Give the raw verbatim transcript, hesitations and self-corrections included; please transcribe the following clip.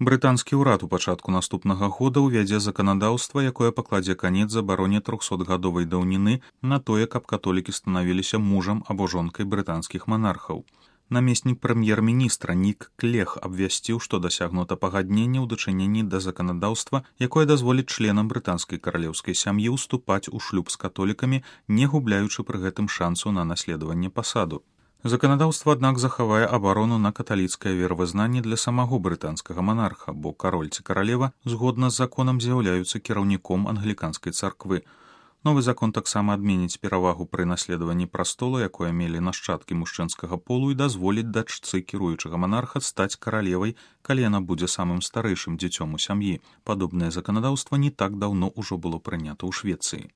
Брытанскі ўрад у пачатку наступнага года ўвядзе заканадаўства, якое пакладзе канец забароне трохсотгадовай даўніны на тое, каб католікі станавіліся мужам або жонкай брытанскіх манархаў. Намеснік прэм'ер-міністра Нік Клег абвясціў, што дасягнута пагадненне ў дачыненні да заканадаўства, якое дазволіць членам брытанскай каралеўскай сям'і ўступаць у шлюб з католікамі, не губляючы пры гэтым шансу на наследаванне пасаду. Заканадаўства, аднак, захавае абарону на каталіцкае веравызнанне для самого брытанскага монарха, бо кароль ці каралева згодна з законам з'яўляюцца кіраўніком англіканскай царквы. Новы закон таксама адменіць перавагу пры наследаванні прастола, якое мелі нашчадкі мужчынскага полу, і дазволіць дачцы кіруючага монарха стаць каралевай, калі яна будзе самым старэйшым дзіцём у сям'і. Падобнае заканадаўства не так даўно ўжо было прынята ў Швецыі.